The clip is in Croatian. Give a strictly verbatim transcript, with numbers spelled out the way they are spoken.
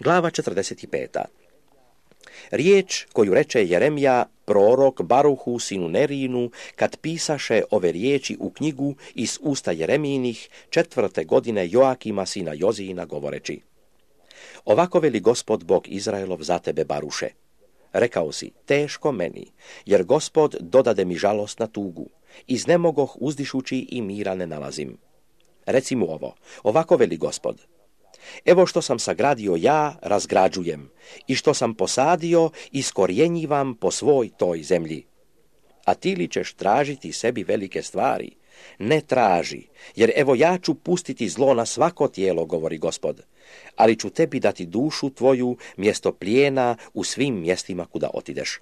Glava četrdeset pet. Riječ koju reče Jeremija, prorok Baruhu sinu Nerinu, kad pisaše ove riječi u knjigu iz usta Jeremijinih četvrte godine Joakima sina Jozijina govoreći: Ovako veli Gospod Bog Izraelov za tebe, Baruše. Rekao si, teško meni, jer Gospod dodade mi žalost na tugu, iznemogoh uzdišući i mira ne nalazim. Reci mu ovo, ovako veli Gospod. Evo što sam sagradio ja, razgrađujem, i što sam posadio, iskorjenjivam po svoj toj zemlji. A ti li ćeš tražiti sebi velike stvari? Ne traži, jer evo ja ću pustiti zlo na svako tijelo, govori Gospod, ali ću tebi dati dušu tvoju mjesto plijena u svim mjestima kuda otideš.